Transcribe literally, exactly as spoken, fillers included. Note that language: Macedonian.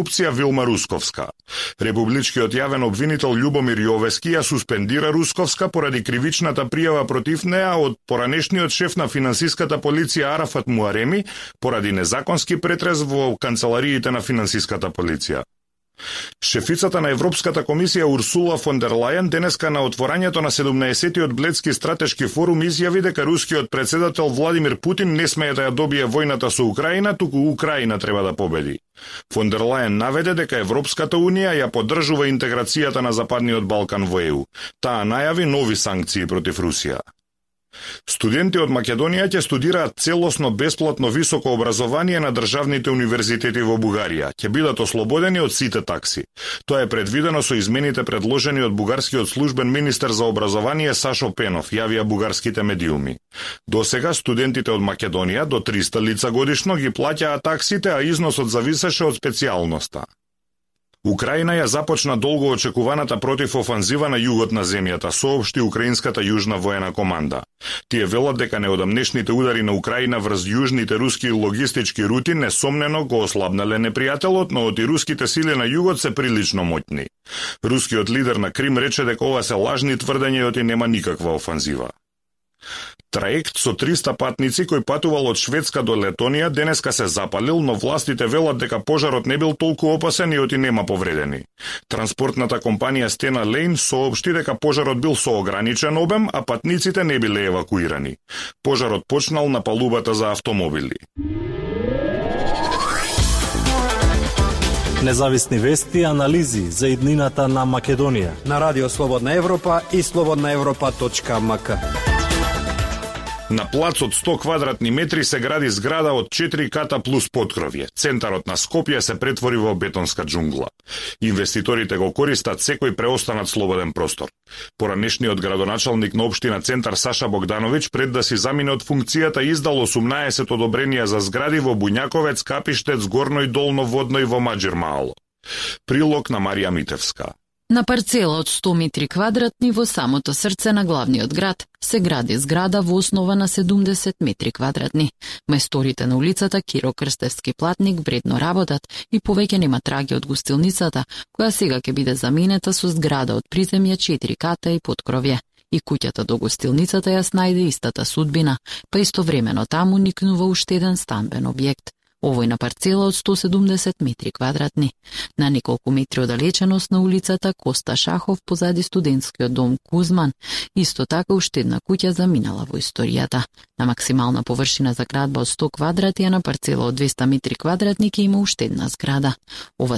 корупција Вилма Русковска. Републичкиот јавен обвинител Љубомир Јовески ја суспендира Русковска поради кривичната пријава против неа од поранешниот шеф на финансиската полиција Арафат Муареми поради незаконски претрес во канцелариите на финансиската полиција. Шефицата на Европската комисија Урсула фон дер Лајен денеска на отворањето на седумнаесеттиот Бледски стратешки форум изјави дека рускиот претседател Владимир Путин не смее да ја добие војната со Украина, туку Украина треба да победи. Фон дер Лајен наведе дека Европската унија ја поддржува интеграцијата на Западниот Балкан во Е У. Таа најави нови санкции против Русија. Студенти од Македонија ќе студираат целосно бесплатно високо образование на државните универзитети во Бугарија. Ќе бидат ослободени од сите такси. Тоа е предвидено со измените предложени од бугарскиот службен министер за образование Сашо Пенов, јавија бугарските медиуми. Досега студентите од Македонија до триста лица годишно ги плаќаа таксите, а износот зависеше од специјалноста. Украина ја започна долго очекуваната противофанзива на југот на земјата, соопшти украинската јужна воена команда. Тие велат дека неодамнешните удари на Украина врз јужните руски логистички рути несомнено го ослабнале непријателот, но и руските сили на југот се прилично моќни. Рускиот лидер на Крим рече дека ова се лажни тврдења и нема никаква офанзива. Траект со триста патници кој патувал од Шведска до Летонија денеска се запалил, но властите велат дека пожарот не бил толку опасен и оти нема повредени. Транспортната компанија Стена Лейн соопшти дека пожарот бил со ограничен обем, а патниците не биле евакуирани. Пожарот почнал на палубата за автомобили. Независни вести и анализи за иднината на Македонија на Радио Слободна Европа и слободна европа точка ем ка. На плац од сто квадратни метри се гради зграда од четири ката плюс поткровје. Центарот на Скопје се претвори во бетонска џунгла. Инвеститорите го користат секој преостанат слободен простор. Поранешниот градоначалник на општина Центар Саша Богдановиќ пред да си замине од функцијата издал осумнаесет одобренија за згради во Буњаковец, Капиштец, Горно и Долно Водно и во Маџирмаало. Прилог на Марија Митевска. На парцела од сто метри квадратни во самото срце на главниот град се гради зграда во основа на седумдесет метри квадратни. Мајсторите на улицата Киро Крстевски платник вредно работат и повеќе нема траги од гостилницата, која сега ќе биде заменета со зграда од приземје четири ката и поткровје. И куќата до гостилницата ја снајде истата судбина, па истовремено таму никнува уште еден станбен објект. Овој на парцела од сто седумдесет метри квадратни. На неколку метри оддалеченост на улицата Коста Шахов позади студентскиот дом Кузман, исто така уште една куќа заминала во историјата. На максимална површина за градба од сто квадрати, а на парцела од двесте метри квадратни ќе има уште една зграда. Ова